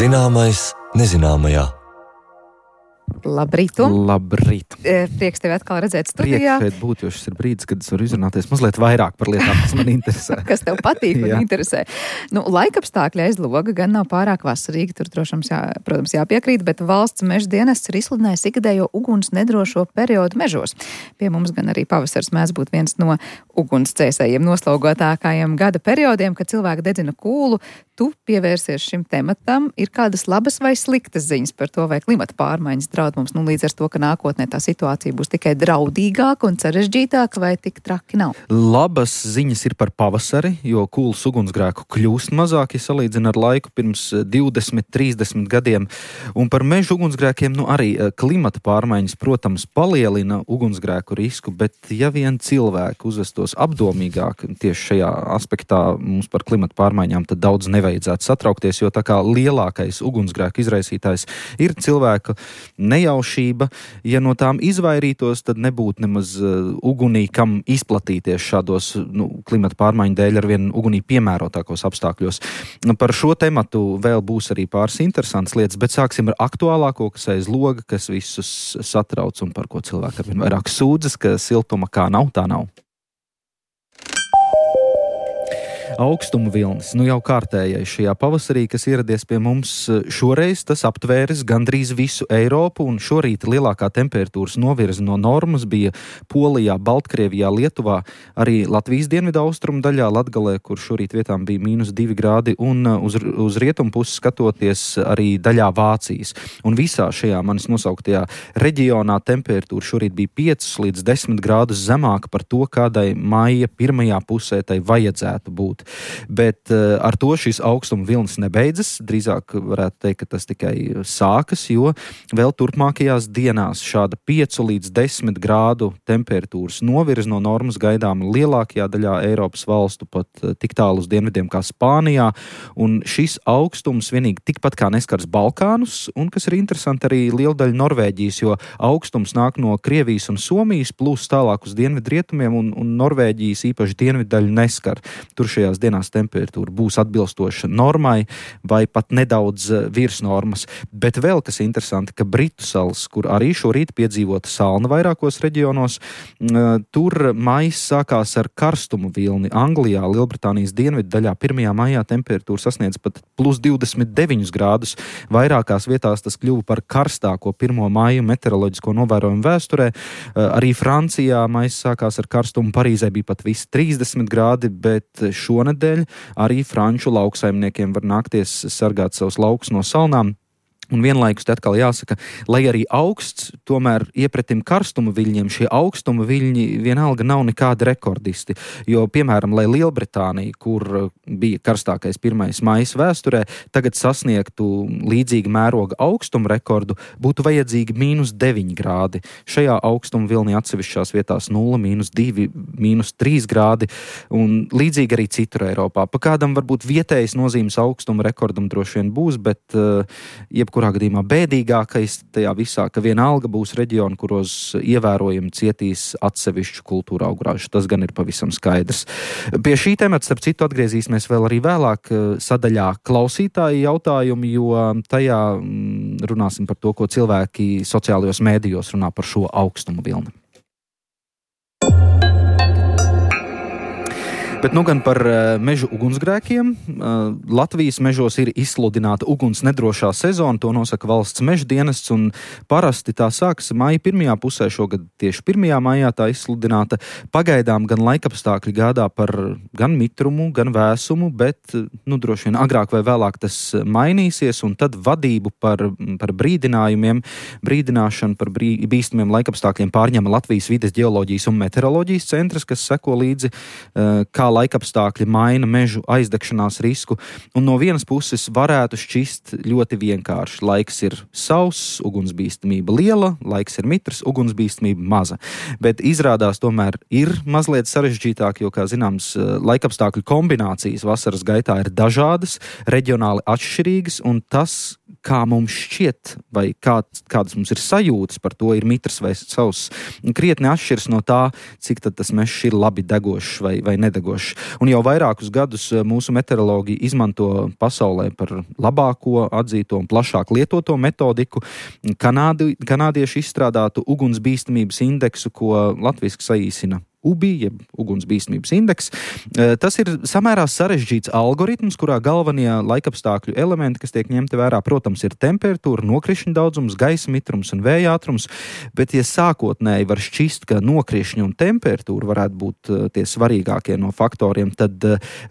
Zināmais nezināmajā. Labrīt! Labrīt! Prieks tevi atkal redzēt studijā. Prieks šeit būt, jo šis ir brīdis, kad es varu izrunāties mazliet vairāk par lietām, kas man interesē. Kas tev patīk un interesē. Laikapstākļi aiz loga gan nav pārāk vasarīgi, tur protams jāpiekrīt, bet valsts meža dienests ir izsludinājis ikgadējo uguns nedrošo periodu mežos. Pie mums gan arī pavasars mēdz būt viens no ugunsdzēsējiem noslogotākajiem gada periodiem, kad cilvēki dedzina kūlu. Tu pievērsies šim tematam. Ir kādas labas vai sliktas ziņas par to, vai klimata pārmaiņas draud mums, līdz ar to, ka nākotnē tā situācija būs tikai draudīgāka un sarežģītāka, vai tik traki nav? Labas ziņas ir par pavasari, jo kūlas ugunsgrēku kļūst mazāk, ja salīdzina ar laiku pirms 20, 30 gadiem. Un par mežu ugunsgrēkiem, arī klimata pārmaiņas, protams, palielina ugunsgrēku risku, bet ja vien cilvēki uzvestos apdomīgāk tieši šajā aspektā mums par klimata pārmaiņām, tad daudz nevajadzētu satraukties, jo tā kā lielākais ugunsgrēku izraisītājs ir cilvēka nejaušība. Ja no tām izvairītos, tad nebūtu nemaz ugunī, kam izplatīties šādos klimata pārmaiņu dēļ ar vien ugunī piemērotākos apstākļos. Par šo tematu vēl būs arī pāris interesantas lietas, bet sāksim ar aktuālāko, kas aiz loga, kas visus satrauc un par ko cilvēki ar vien vairāk sūdzas, ka siltuma kā nav, tā nav. Augstuma vilnis, jau kārtējais šajā pavasarī, kas ieradies pie mums šoreiz, tas aptvēris gandrīz visu Eiropu, un šorīt lielākā temperatūras novirze no normas bija Polijā, Baltkrievijā, Lietuvā, arī Latvijas dienvidu austrumu daļā, Latgalē, kur šorīt vietām bija -2 grādi, un uz rietumu pusi skatoties arī daļā Vācijas. Un visā šajā manis nosauktajā reģionā temperatūra šorīt bija 5 līdz 10 grādus zemāka par to, kādai maija pirmajā pusē tai vajadzētu būt. Bet ar to šis augstuma vilnis nebeidzas, drīzāk varētu teikt, ka tas tikai sākas, jo vēl turpmākajās dienās šāda 5 līdz 10 grādu temperatūras novirze no normas gaidām lielākajā daļā Eiropas valstu, pat tik tālu uz dienvidiem kā Spānijā, un šis augstums vienīgi tikpat kā neskars Balkānus, un kas ir interesanti arī liela daļa Norvēģijas, jo augstums nāk no Krievijas un Somijas, plus tālāk uz dienvidrietumiem, un Norvēģijas īpaši dienviddaļu neskar. Tur šajās dienās temperatūra būs atbilstoša normai vai pat nedaudz virs normas. Bet vēl kas interesanti, ka Britu salas, kur arī šorīt piedzīvota salna vairākos reģionos, tur maijs sākās ar karstumu vilni. Anglijā, Lielbritānijas dienvidu daļā 1. maijā temperatūra sasniedz pat +29 grādus. Vairākās vietās tas kļuva par karstāko 1. maiju meteoroloģisko novērojumu vēsturē. Arī Francijā maijs sākās ar karstumu, Parīzē bija pat visi 30 grādi, bet šonedēļ arī franču lauksaimniekiem var nākties sargāt savus laukus no salnām. Un vienlaikus te atkal jāsaka, lai arī augsts, tomēr iepretim karstuma viļņiem, šie augstuma viļņi vienalga nav nekādi rekordisti. Jo, piemēram, lai Lielbritānija, kur bija karstākais 1. maijs vēsturē, tagad sasniegtu līdzīga mēroga augstuma rekordu, būtu vajadzīgi -9 grādi. Šajā augstuma vilnī atsevišķās vietās 0, -2, -3 grādi, un līdzīgi arī citur Eiropā. Pa kādam varbūt vietējas nozīmes augstuma rekordam droši vien būs, bet jebkurā gadījumā bēdīgākais tajā visā, ka vienalga būs reģioni, kuros ievērojami cietīs atsevišķu kultūra augrāžu. Tas gan ir pavisam skaidrs. Pie šī temata, starp citu, atgriezīsimies vēl arī vēlāk sadaļā klausītāju jautājumi, jo tajā runāsim par to, ko cilvēki sociālajos mēdījos runā par šo augstumu vilni. Bet gan par mežu ugunsgrēkiem. Latvijas mežos ir izsludināta uguns nedrošā sezona, to nosaka valsts meža dienests, un parasti tā sākas maija pirmajā pusē, šogad tieši 1. maijā tā izsludināta. Pagaidām gan laikapstākļi gādā par gan mitrumu, gan vēsumu, bet droši vien agrāk vai vēlāk tas mainīsies, un tad vadību par brīdināšanu par bīstamiem laikapstākļiem pārņem Latvijas vides ģeoloģijas un meteoroloģijas centrs, kas seko līdzi, kā laikapstākļi maina mežu aizdegšanās risku, un no vienas puses varētu šķist ļoti vienkārši. Laiks ir sauss, ugunsbīstamība liela, laiks ir mitrs, ugunsbīstamība maza. Bet izrādās tomēr ir mazliet sarežģītāk, jo, kā zināms, laikapstākļu kombinācijas vasaras gaitā ir dažādas, reģionāli atšķirīgas, un tas, kā mums šķiet, vai kādas mums ir sajūtas par to, ir mitrs vai sauss, krietni atšķiras no tā, cik tad tas mežs ir labi degošs vai nedegošs. Un jau vairākus gadus mūsu meteorologi izmanto pasaulē par labāko, atzīto un plašāk lietoto metodiku kanādieši izstrādātu ugunsbīstamības indeksu, ko latviski saīsina UBI, jeb ugunsbīstamības indeks. Tas ir samērā sarežģīts algoritms, kurā galvenie laikapstākļu elementi, kas tiek ņemti vērā, protams, ir temperatūra, nokrišņu daudzums, gaisa mitrums un vēja ātrums, bet ja sākotnēji var šķist, ka nokrišņi un temperatūra varētu būt tie svarīgākie no faktoriem, tad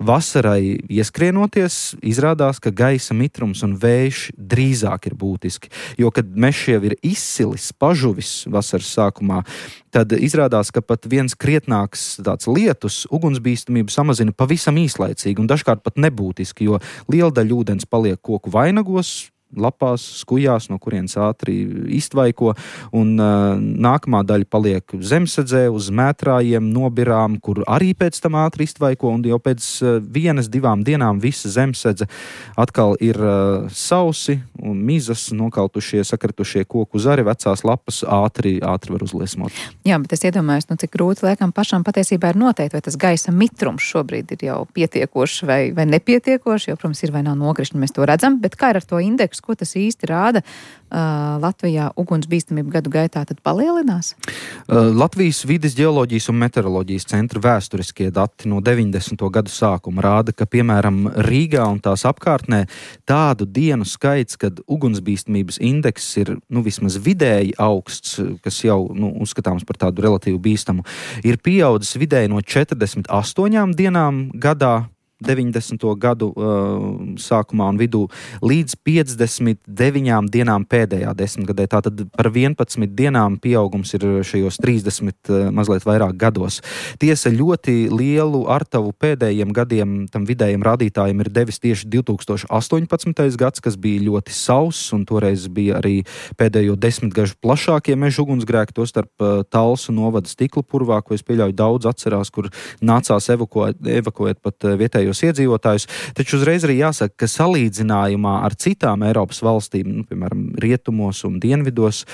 vasarai ieskrienoties izrādās, ka gaisa mitrums un vējš drīzāk ir būtiski, jo, kad mežs jau ir izsilis, pažuvis vasaras sākumā, tad izrādās, ka pat viens krietnāks tāds lietus ugunsbīstamību samazina pavisam īslaicīgi un dažkārt pat nebūtiski, jo liela daļa ūdens paliek koku vainagos, lapās, skujās, no kurienes ātri iztvaiko, un nākamā daļa paliek zemsedzē, uz mētrājiem, nobirām, kur arī pēc tam ātri iztvaiko, un jau pēc 1-2 dienām visa zemsedze atkal ir sausi un mizas, nokaltušie, sakritušie koku zari, vecās lapas ātri var uzliesmot. Jā, bet es iedomājos, cik grūti liekam pašam patiesībā ir noteikt, vai tas gaisa mitrums šobrīd ir jau pietiekošs vai nepietiekošs, jo, protams, ir vai nav nokrišņi, mēs to redzam, bet kā ir ar to indeksu? Ko tas īsti rāda? Latvijā ugunsbīstamība gadu gaitā tad palielinās? Latvijas vides ģeoloģijas un meteoroloģijas centra vēsturiskie dati no 90. gadu sākuma rāda, ka, piemēram, Rīgā un tās apkārtnē tādu dienu skaits, kad ugunsbīstamības indeks ir, vismaz vidēji augsts, kas jau, uzskatāms par tādu relatīvi bīstamu, ir pieaudzis vidēji no 48 dienām gadā, 90. gadu sākumā un vidū līdz 59 dienām pēdējā desmitgadē. Tātad par 11 dienām pieaugums ir šajos 30 mazliet vairāk gados. Tiesa, ļoti lielu artavu pēdējiem gadiem tam vidējiem rādītājiem ir devis tieši 2018. gads, kas bija ļoti sauss, un toreiz bija arī pēdējo 10 gažu plašākie meža ugunsgrēki, tostarp Talsu novada Stikla purvā, ko es pieļauju daudz atcerās, kur nācās evakuēt pat vietējo iedzīvotājus, taču uzreiz arī jāsaka, ka salīdzinājumā ar citām Eiropas valstīm, piemēram, rietumos un dienvidos,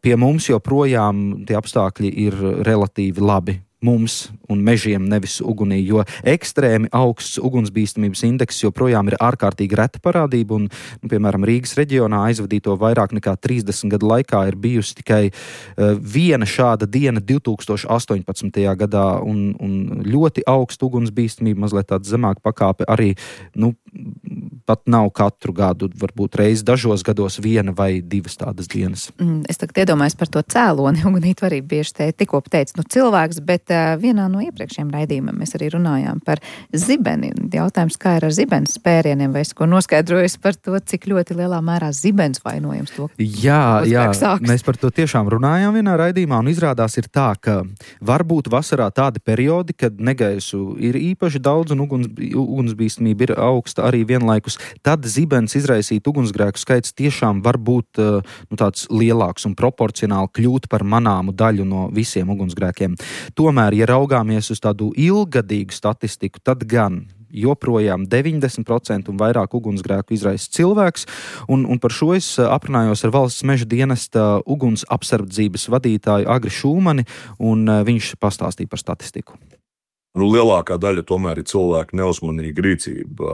pie mums joprojām tie apstākļi ir relatīvi labi. Mums un mežiem, nevis ugunī, jo ekstrēmi augsts ugunsbīstamības indeks joprojām ir ārkārtīgi reta parādība, un, piemēram, Rīgas reģionā aizvadīto vairāk nekā 30 gadu laikā ir bijusi tikai viena šāda diena 2018. gadā, un ļoti augsta ugunsbīstamība, mazliet tāda zemāka pakāpe arī, pat nav katru gadu, varbūt reiz dažos gados 1 vai 2 tādas dienas. Es tagad iedomājos par to cēloni, Ugunīt arī bieži tikko teica, cilvēks, bet vienā no iepriekšējiem raidījumiem mēs arī runājām par zibeni. Jautājums, kā ir ar zibenes spērieniem, vai es ko noskaidroju par to, cik ļoti lielā mērā zibens vainojams to? Jā, mēs par to tiešām runājām vienā raidījumā, un izrādās ir tā, ka varbūt vasarā tādi periodi, kad negaisu ir īpaši daudz un ugunsbīstamība ir augsta arī vienlaikus, tad zibens izraisīt ugunsgrēku skaits tiešām var būt tāds lielāks un proporcionāli kļūt par manāmu daļu no visiem ugunsgrēkiem. Tomēr, ja raugāmies uz tādu ilggadīgu statistiku, tad gan joprojām 90% un vairāk ugunsgrēku izraisa cilvēks, un par šo es aprunājos ar Valsts meža dienesta uguns apsardzības vadītāju Agri Šulmani, un viņš pastāstīja par statistiku. Lielākā daļa tomēr ir cilvēku neuzmanīga rīcība,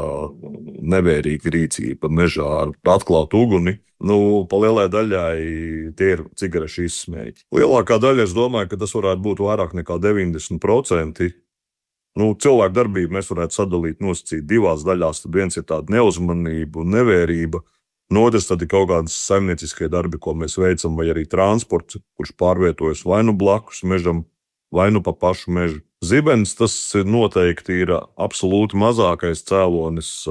nevērīga rīcība mežā ar atklātu uguni. Pa lielai daļai tie ir cigarešu izsmēķi. Lielākā daļa, es domāju, ka tas varētu būt vairāk nekā 90%. Cilvēku darbību mēs varētu sadalīt, nosacīt 2 daļās. Tad viens ir tāda neuzmanība un nevērība. Otrs tad ir kaut kādas saimnieciskie darbi, ko mēs veicam, vai arī transports, kurš pārvietojas vai blakus mežam, vai pa pašu mežu. Zibens, tas noteikti ir absolūti mazākais cēlonis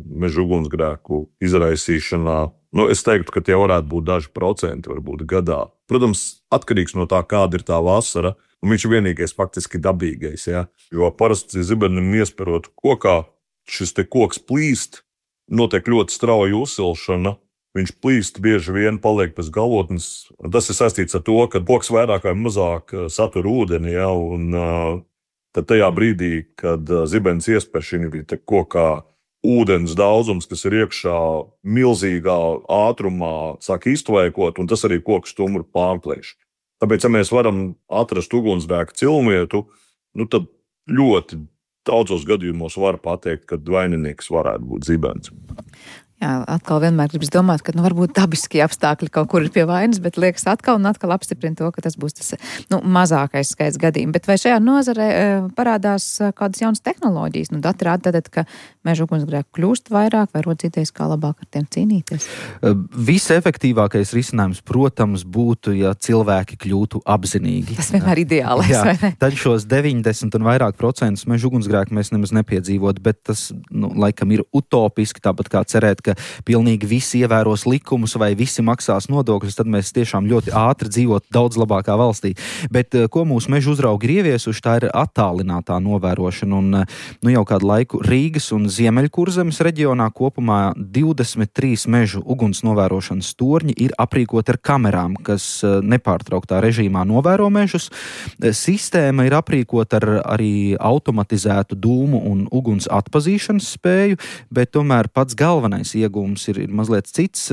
meža ugunsgrēku izraisīšanā. Es teiktu, ka tie varētu būt daži procenti, varbūt gadā. Protams, atkarīgs no tā, kāda ir tā vasara, un viņš ir vienīgais faktiski dabīgais. Ja? Jo parasti zibenim iesperot kokā, šis te koks plīst, notiek ļoti strauja uzsilšana. Viņš plīst, bieži vien paliek pēc galotnes. Tas ir saistīts ar to, ka koks vairāk vai mazāk satur ūdeni, ja? Un tad tajā brīdī, kad zibens iespēr šī kokā ūdens daudzums, kas ir iekšā milzīgā ātrumā, sāk iztvaikot, un tas arī koku stumuru pārplēš. Tāpēc, ja mēs varam atrast ugunsgrēka cilmvietu, tad ļoti daudzos gadījumos var pateikt, ka vaininieks varētu būt zibens. Jā, atkal vienmēr gribas domāt, ka varbūt dabiskie apstākļi kaut kur ir pie vainas, bet liekas atkal un atkal apstiprina to, ka tas būs tas mazākais skaits gadījumu. Bet vai šajā nozarē parādās kādas jaunas tehnoloģijas? Dati rāda tad, ka meža ugunsgrēku kļūst vairāk, vai rodas idejas, kā labāk ar tiem cīnīties? Visefektīvākais risinājums, protams, būtu, ja cilvēki kļūtu apzinīgi. Tas vienmēr ideālais, vai ne? Tad šos 90 un vairāk procentus meža ugunsgrēku mēs nemaz nepiedzīvot, bet tas, laikam ir utopiski, tāpat kā cerēt, ka pilnīgi visi ievēros likumus vai visi maksās nodokļus, tad mēs tiešām ļoti ātri dzīvot daudz labākā valstī. Bet ko mūsu meža uzraugi ir ieviesuši, tā ir attālinātā novērošana. Un jau kādu laiku Rīgas un Ziemeļkurzemes reģionā kopumā 23 mežu uguns novērošanas torņi ir aprīkoti ar kamerām, kas nepārtrauktā režīmā novēro mežus. Sistēma ir aprīkota ar arī automatizētu dūmu un uguns atpazīšanas spēju, bet tomēr pats galvenais iegūms ir mazliet cits.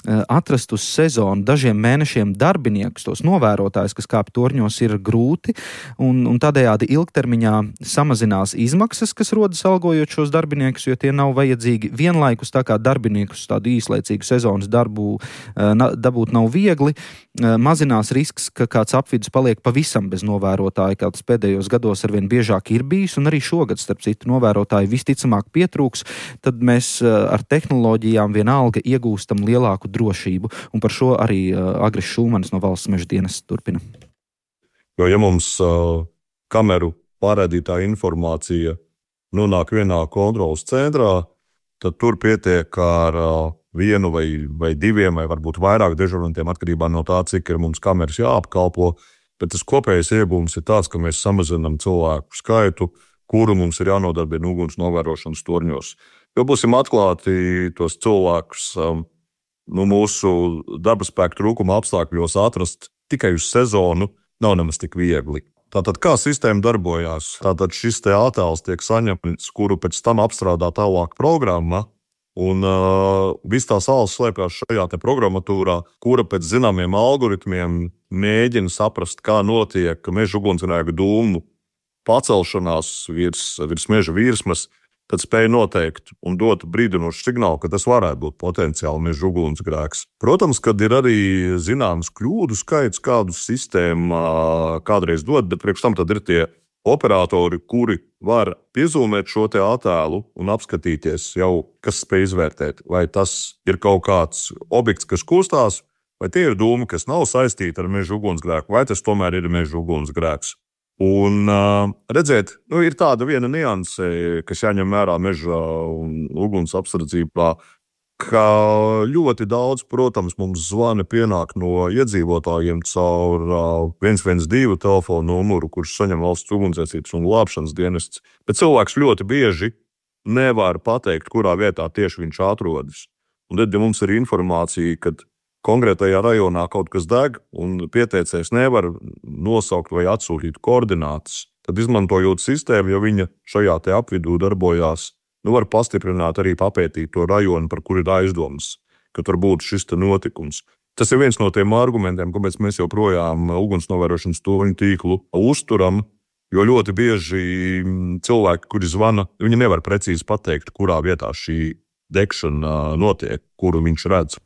Atrast uz sezonu dažiem mēnešiem darbiniekus, tos novērotājus, kas kāp torņos, ir grūti, un tādējādi ilgtermiņā samazinās izmaksas, kas rodas algojot šos darbiniekus, jo tie nav vajadzīgi vienlaikus, tā kā darbiniekus tādu īslaicīgu sezonas darbu dabūt nav viegli. Mazinās risks, ka kāds apvidus paliek pavisam bez novērotāja, kā tas pēdējos gados arvien biežāk ir bijis, un arī šogad, starp citu, novērotāji visticamāk pietrūks, tad mēs ar tehnoloģijām vienalga iegūstam lielāku drošību, un par šo arī Agris Šulmanis no Valsts meža dienesta turpina. Jo, ja mums kameru pārraidītā informācija nonāk vienā kontrolas centrā, tad tur pietiek ar vienu vai diviem, vai varbūt vairāk dežurantiem, atkarībā no tā, cik ir mums kameras jāapkalpo, bet tas kopējais iegūms ir tāds, ka mēs samazinām cilvēku skaitu, kuru mums ir jānodarbina uguns novērošanas torņos. Jo būsim atklāti, tos cilvēkus mūsu darba spēka trūkuma apstākļos atrast tikai uz sezonu nav nemaz tik viegli. Tātad, kā sistēma darbojās? Tātad šis te attēls tiek saņemts, kuru pēc tam apstrādā tālāk programma, un viss tā sāls slēpjas šajā te programmatūrā, kura pēc zināmiem algoritmiem mēģina saprast, kā notiek meža ugunsgrēka dūmu pacelšanās virs meža virsmas, tad spēja noteikt un dot brīdinošu signālu, ka tas varētu būt potenciāli meža ugunsgrēks. Protams, kad ir arī zināms kļūdu skaits, kādu sistēmu kādreiz dod, bet priekš tam tad ir tie operatori, kuri var piezūmēt šo te attēlu un apskatīties jau, kas spēj izvērtēt, vai tas ir kaut kāds objekts, kas kustās, vai tie ir dūmi, kas nav saistīti ar meža ugunsgrēku, vai tas tomēr ir meža ugunsgrēks. Un redzēt, ir tāda viena nianse, kas jāņem vērā meža un uguns apsardzībā, ka ļoti daudz, protams, mums zvani pienāk no iedzīvotājiem caur 112 telefonu numuru, kurš saņem Valsts ugunsdzēsības un glābšanas dienests. Bet cilvēks ļoti bieži nevar pateikt, kurā vietā tieši viņš atrodas. Un tad, ja mums ir informācija, kad konkrētajā rajonā kaut kas deg un pieteicējs nevar nosaukt vai atsūtīt koordinātas, tad izmantojot sistēmu, jo viņa šajā te apvidū darbojās, var pastiprināt arī papētīt to rajonu, par kur ir aizdomas, ka tur būtu šis te notikums. Tas ir viens no tiem argumentiem, kāpēc mēs joprojām uguns novērošanas torņu tīklu uzturam, jo ļoti bieži cilvēki, kuri zvana, viņi nevar precīzi pateikt, kurā vietā šī degšana notiek, kuru viņš redz.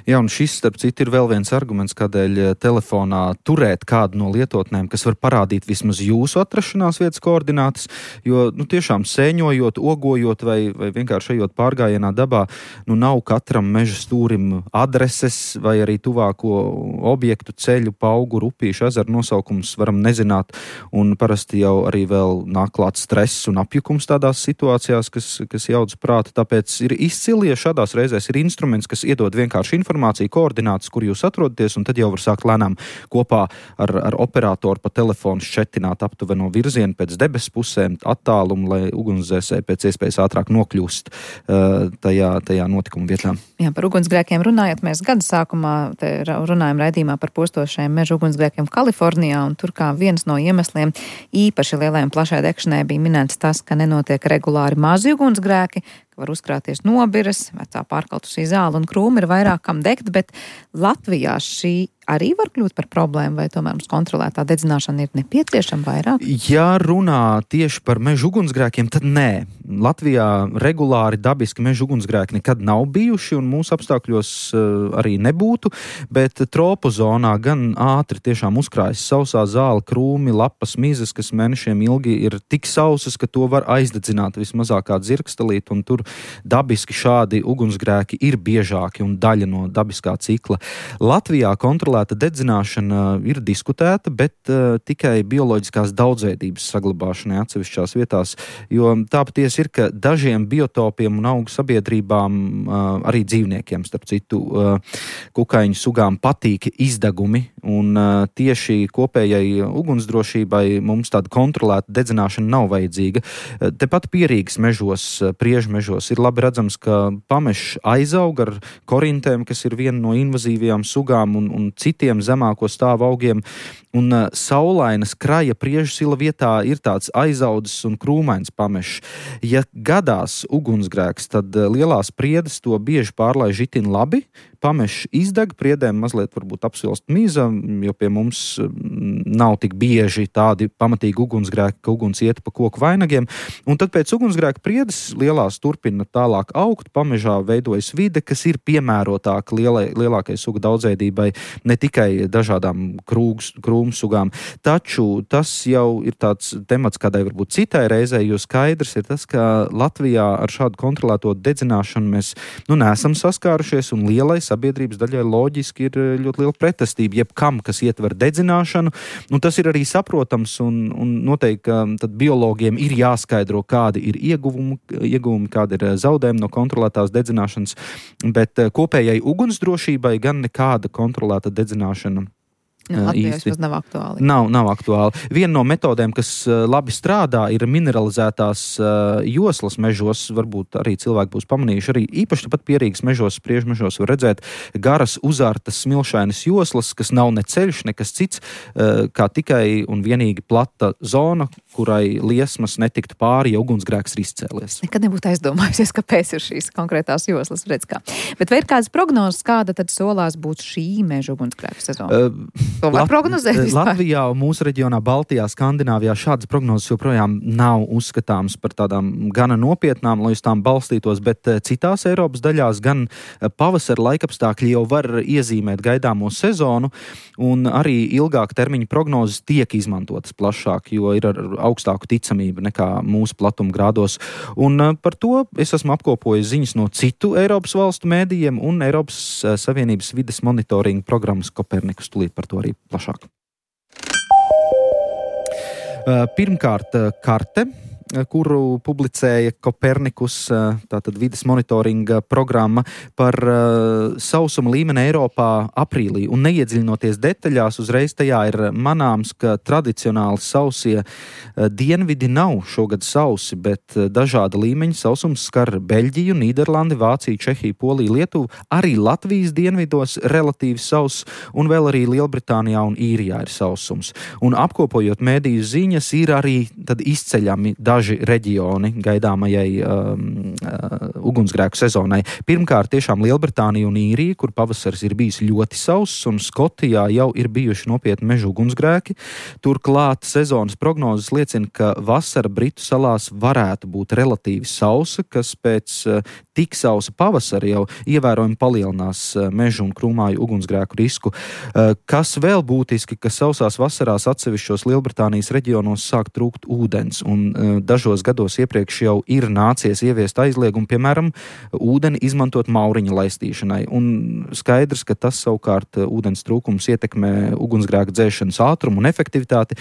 Jā, un šis, starp citu, ir vēl viens arguments, kādēļ telefonā turēt kādu no lietotnēm, kas var parādīt vismaz jūsu atrašanās vietas koordinātas, jo, tiešām sēņojot, ogojot vai vienkārši ejot pārgājienā dabā, nav katram meža stūrim adreses vai arī tuvāko objektu, ceļu, paugu, upīšu, ezeru nosaukums varam nezināt, un parasti jau arī vēl nāk klāt stress un apjukums tādās situācijās, kas jauc prātu, tāpēc ir izcili, ja šādās reizēs ir instruments, kas iedod vienkārši informāciju, koordinātas, kur jūs atrodaties, un tad jau var sākt lēnām kopā ar operatoru pa telefonu šķetināt aptuveno virzienu pēc debesu pusēm, attālumu, lai ugunsdzēsēji pēc iespējas ātrāk nokļūst tajā notikuma vietā. Jā, par ugunsgrēkiem runājot, mēs gada sākumā runājam raidījumā par postošajiem meža ugunsgrēkiem Kalifornijā, un tur kā viens no iemesliem īpaši lielai un plašai degšanai bija minēts tas, ka nenotiek regulāri mazi ugunsgrēki, var uzkrāties nobiras, vecā pārkaltusī zāle un krūmi ir vairāk kam degt, bet Latvijā šī arī var kļūt par problēmu, vai tomēr mums kontrolētā dedzināšana ir nepieciešama vairāk? Ja runā tieši par meža ugunsgrēkiem, tad nē. Latvijā regulāri dabiski meža ugunsgrēki nekad nav bijuši un mūsu apstākļos arī nebūtu, bet tropu zonā gan ātri tiešām uzkrājas sausā zāle, krūmi, lapas, mizas, kas mēnešiem ilgi ir tik sausas, ka to var aizdedzināt vismazākā dzirkstelīt, un tur dabiski šādi ugunsgrēki ir biežāki un daļa no dabiskā cikla. Latvijā kontrolēta dedzināšana ir diskutēta, bet tikai bioloģiskās daudzveidības saglabāšanai atsevišķās vietās, jo tā patiesi ir, ka dažiem biotopiem un augu sabiedrībām, arī dzīvniekiem, starp citu, kukaiņu sugām patīk izdegumi, un tieši kopējai ugunsdrošībai mums tāda kontrolēta dedzināšana nav vajadzīga. Tepat Pierīgas mežos, priežmežos ir labi redzams, ka pamešs aizaug ar korintēm, kas ir viena no invazīvajām sugām un citiem zemāko stāvu augiem, un saulainas kraja priežsila vietā ir tāds aizaudzis un krūmains pamešs. Ja gadās ugunsgrēks, tad lielās priedes to bieži pārlaiž itin labi, pamešs izdeg, priedēm mazliet varbūt apsilst miza, jo pie mums nav tik bieži tādi pamatīgi ugunsgrēki, ka uguns iet pa koku vainagiem, un tad pēc ugunsgrēka priedes lielās turpina tālāk augt, pamežā veidojas vide, kas ir piemērotāka lielākai sugu daudzveidībai, ne tikai dažādām krūmu sugām. Taču tas jau ir tāds temats kādai varbūt citai reizei, jo skaidrs ir tas, ka Latvijā ar šādu kontrolēto dedzināšanu mēs neesam saskārušies, un lielai sabiedrības daļai loģiski ir ļoti liela pretestība jebkam, kas ietver dedzināšanu. Tas ir arī saprotams, un noteikti, ka tad biologiem ir jāskaidro, kādi ir ieguvumi, kādi ir zaudējumi no kontrolētās dedzināšanas, bet kopējai ugunsdrošībai gan nekāda kontrolēta dedzināšana Latvijā tas nav aktuāli. Nav aktuāli. Viena no metodēm, kas labi strādā, ir mineralizētās joslas mežos. Varbūt arī cilvēki būs pamanījuši. Arī īpaši tāpat Pierīgas mežos, priežmežos var redzēt garas, uzārtas, smilšainas joslas, kas nav ne ceļš, nekas cits, kā tikai un vienīgi plata zona, kurai liesmas netiktu pāri, ja ugunsgrēks ir izcēlies. Nekad nebūtu aizdomājusies, kāpēc ir šīs konkrētās joslas, redz kā. Bet vai ir kādas prognozes, kāda tad solās būt šī meža ugunsgrēku sezona? To var prognozēt vispār? Latvijā un mūsu reģionā, Baltijā, Skandināvijā šādas prognozes joprojām nav uzskatāmas par tādām gana nopietnām, lai uz tām balstītos, bet citās Eiropas daļās gan pavasara laikapstākļi jau var iezīmēt gaidāmo sezonu, un arī ilgāka termiņa prognozes tiek izmantotas plašāk, jo ir ar augstāku ticamību nekā mūsu platumgrādos. Un par to es esmu apkopojis ziņas no citu Eiropas valstu mēdījiem un Eiropas Savienības vides monitoringa programmas Kopernikus. Tūlīt par to arī plašāk. Pirmkārt, karte, kuru publicēja Kopernikus, tātad vides monitoringa programma par sausuma līmeni Eiropā aprīlī. Un neiedziļinoties detaļās, uzreiz tajā ir manāms, ka tradicionāli sausie dienvidi nav šogad sausi, bet dažāda līmeņa sausums skar Beļģiju, Nīderlandi, Vāciju, Čehiju, Poliju, Lietuvu, arī Latvijas dienvidos relatīvi sauss, un vēl arī Lielbritānijā un Īrijā ir sausums. Un apkopojot mēdīju ziņas, ir arī tad izceļami daži reģioni gaidāmajai ugunsgrēku sezonai. Pirmkārt, tiešām Lielbritānija un Īrija, kur pavasaris ir bijis ļoti sauss, un Skotijā jau ir bijuši nopietni meža ugunsgrēki. Turklāt sezonas prognozes liecina, ka vasara Britu salās varētu būt relatīvi sausa, kas pēc tik sausa pavasara jau ievērojami palielinās mežu un krūmāju ugunsgrēku risku. Kas vēl būtiski, ka sausās vasarās atsevišķos Lielbritānijas reģionos sāk trūkt ūdens, un dažos gados iepriekš jau ir nācies ieviest aizliegumu, piemēram, ūdeni izmantot mauriņa laistīšanai. Un skaidrs, ka tas savukārt ūdens trūkums ietekmē ugunsgrēka dzēšanas ātrumu un efektivitāti.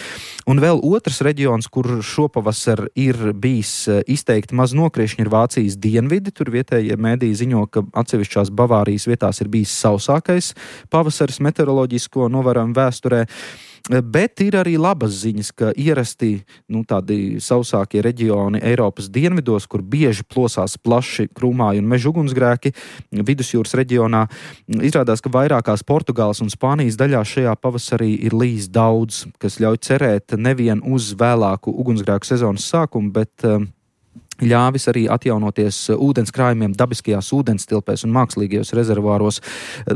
Un vēl otrs reģions, kur šopavasar ir bijis izteikti maz nokriešņi, ir Vācijas dienvidi. Tur vietējie mēdīji ziņo, ka atsevišķās Bavārijas vietās ir bijis sausākais pavasaris meteoroloģisko novērojumu vēsturē. Bet ir arī labas ziņas, ka ierasti tādi sausākie reģioni Eiropas dienvidos, kur bieži plosās plaši krūmāju un meža ugunsgrēki vidusjūras reģionā. Izrādās, ka vairākās Portugāles un Spānijas daļās šajā pavasarī ir lijis daudz, kas ļauj cerēt nevien uz vēlāku ugunsgrēku sezonas sākumu, bet ļāvis arī atjaunoties ūdens krājumiem dabiskajās ūdenstilpēs un mākslīgajos rezervāros,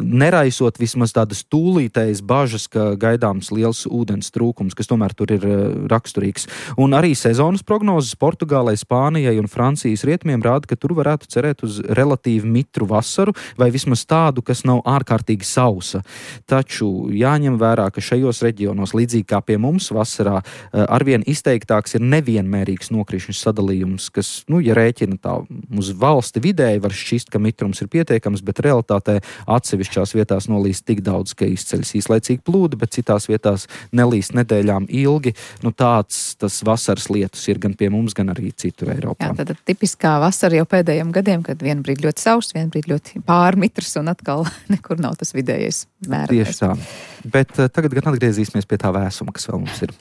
neraisot vismaz tādas tūlītējas bažas, ka gaidāms liels ūdens trūkums, kas tomēr tur ir raksturīgs. Un arī sezonas prognozes Portugālei, Spānijai un Francijas rietumiem rāda, ka tur varētu cerēt uz relatīvi mitru vasaru vai vismaz tādu, kas nav ārkārtīgi sausa. Taču jāņem vērā, ka šajos reģionos, līdzīgi kā pie mums vasarā, arvien izteiktāks ir nevienmērīgs nokrišņu sadalījums, kas, ja rēķina tā uz valsti vidēji, var šķist, ka mitrums ir pietiekams, bet realitātē atsevišķās vietās nolīst tik daudz, ka izceļas īslaicīgi plūdi, bet citās vietās nelīst nedēļām ilgi. Tāds tas vasaras lietus ir gan pie mums, gan arī citur Eiropā. Jā, tad tipiskā vasara jau pēdējiem gadiem, kad vienu brīdi ļoti sauss, vienu brīdi ļoti pārmitrs un atkal nekur nav tas vidējais mērķis. Tieši tā. Bet tagad gan atgriezīsimies pie tā vēsuma, kas vēl mums ir.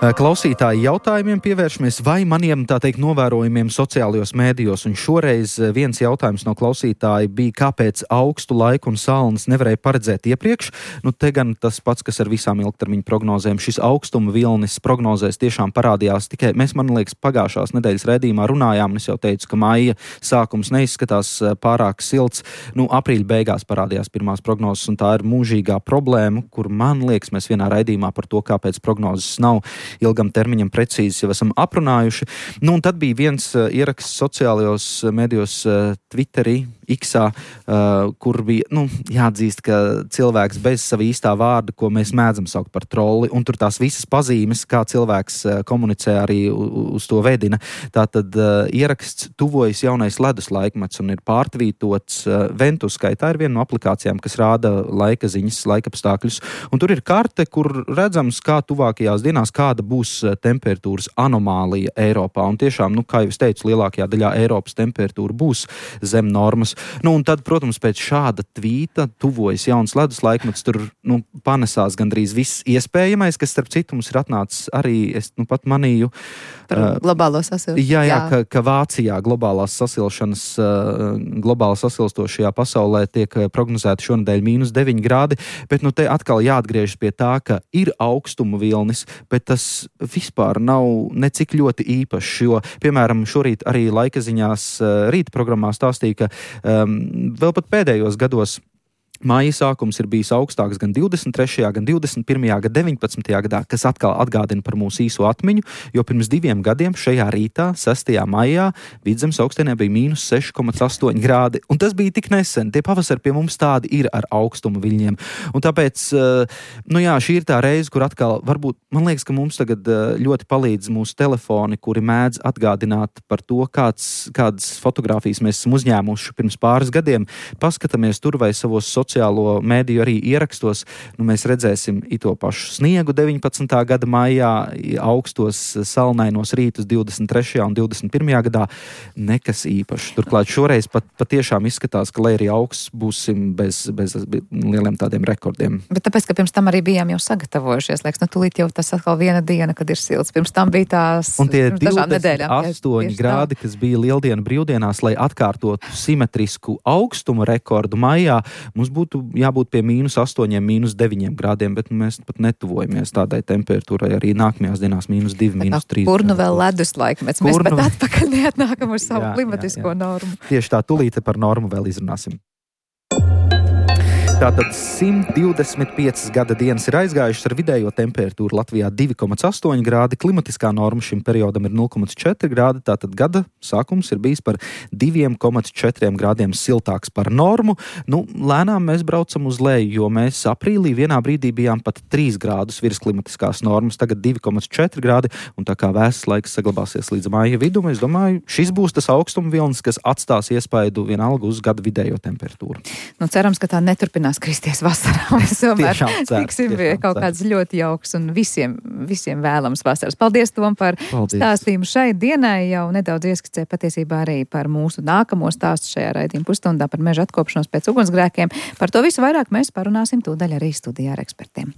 Klausītāji jautājumiem pievēršamies vai maniem, tā teikt, novērojumiem sociālajos mēdījos. Un šoreiz viens jautājums no klausītāja bija, kāpēc augstu laiku un salnas nevarēja paredzēt iepriekš. Te gan tas pats, kas ar visām ilgtermiņa prognozēm. Šis augstuma vilnis prognozēs tiešām parādījās tikai, mēs, man liekas, pagājušās nedēļas raidījumā runājām, un es jau teicu, ka maija sākums neizskatās pārāk silts. Aprīļa beigās parādījās pirmās prognozes, un tā ir mūžīgā problēma, kur, man liekas, mēs vienā raidījumā par to, kāpēc prognozes nav ilgam termiņam precīzi jau esam aprunājuši. Un tad bija viens ieraksts sociālajos medijos Twitterī, X-ā, kur bija, jāatzīst, ka cilvēks bez sava īstā vārda, ko mēs mēdzam saukt par trolli, un tur tās visas pazīmes, kā cilvēks komunicē, arī uz to vedina. Tātad ieraksts tuvojas jaunais ledus laikmets un ir pārtvītots Ventuskai. Tā ir viena no aplikācijām, kas rāda laika ziņas, laikapstākļus, un tur ir karte, kur redzams, kā tuvākajās dienās, kāda būs temperatūras anomālija Eiropā. Un tiešām, kā jau es teicu, lielākajā daļā Eiropas temperatūra būs zem normas. Un tad, protams, pēc šāda tvīta tuvojas jauns ledus laikmets, tur panesās gandrīz viss iespējamais, kas starp citu mums ir atnācis arī, es pat manīju. Par globālo sasilšanu. Jā, ka Vācijā globāli sasilstošajā pasaulē tiek prognozēti šonedēļ -9 grādi, bet te atkal jāatgriežas pie tā, ka ir augstuma vilnis, bet tas vispār nav necik ļoti īpašs, jo, piemēram, šorīt arī laika ziņās rīta programmā stāstīja, ka vēl pat pēdējos gados Māja sākums ir bijis augstāks gan 23., gan 21., gan 19. gadā, kas atkal atgādina par mūsu īso atmiņu, jo pirms 2 gadiem šajā rītā, 6. maijā, Vidzemes augstienē bija -6,8 grādi, un tas bija tik nesen. Tie pavasari pie mums tādi ir ar augstuma viļņiem. Un tāpēc, šī ir tā reize, kur atkal varbūt, man liekas, ka mums tagad ļoti palīdz mūsu telefoni, kuri mēdz atgādināt par to, kādas fotogrāfijas mēs esam uzņēmuši pirms pāris gadiem. Paskatāmies tur vai savos sociālo mēdīju arī ierakstos, mēs redzēsim to pašu sniegu 19. gada maijā, augstos salnainos rītus 23. un 21. gadā, nekas īpašs. Turklāt šoreiz patiešām izskatās, ka, lai arī augsts, būsim bez lieliem tādiem rekordiem. Bet tāpēc, ka pirms tam arī bijām jau sagatavojušies, liekas, tūlīt jau tas atkal viena diena, kad ir silts. Pirms tam bija tās un tie 28 grādi, kas bija lieldienu brīvdienās, lai atkārtotu simetrisku augstuma rekordu maijā, mums būtu jābūt pie -8, -9 grādiem, bet mēs pat netuvojamies tādai temperatūrai arī nākamajās dienās -2, -3. Kur vēl ledus laikmets? Mēs pat atpakaļ neatnākam uz savu klimatisko normu. Tieši tā, tūlīt par normu vēl izrunāsim. Tātad 125 gada dienas ir aizgājušas ar vidējo temperatūru Latvijā 2,8 grādi, klimatiskā norma šim periodam ir 0,4 grādi, tātad gada sākums ir bijis par 2,4 grādiem siltāks par normu. Lēnām mēs braucam uz leju, jo mēs aprīlī vienā brīdī bijām pat 3 grādus virs klimatiskās normas, tagad 2,4 grādi, un tā kā vēsts laiks saglabāsies līdz māja vidum, es domāju, šis būs tas augstuma vilnis, kas atstās iespaidu vienalga uz gada vidējo temperatūru. Cerams, ka tā neturpinās kristies vasarā. Mēs tomēr tiksim pie kaut kāds ļoti jauks un visiem vēlams vasaras. Paldies, Tom, par stāstījumu šai dienai. Jau nedaudz ieskicē patiesībā arī par mūsu nākamo stāstu šajā raidījuma pusstundā par meža atkopšanos pēc ugunsgrēkiem. Par to visu vairāk mēs parunāsim tūdaļ arī studijā ar ekspertiem.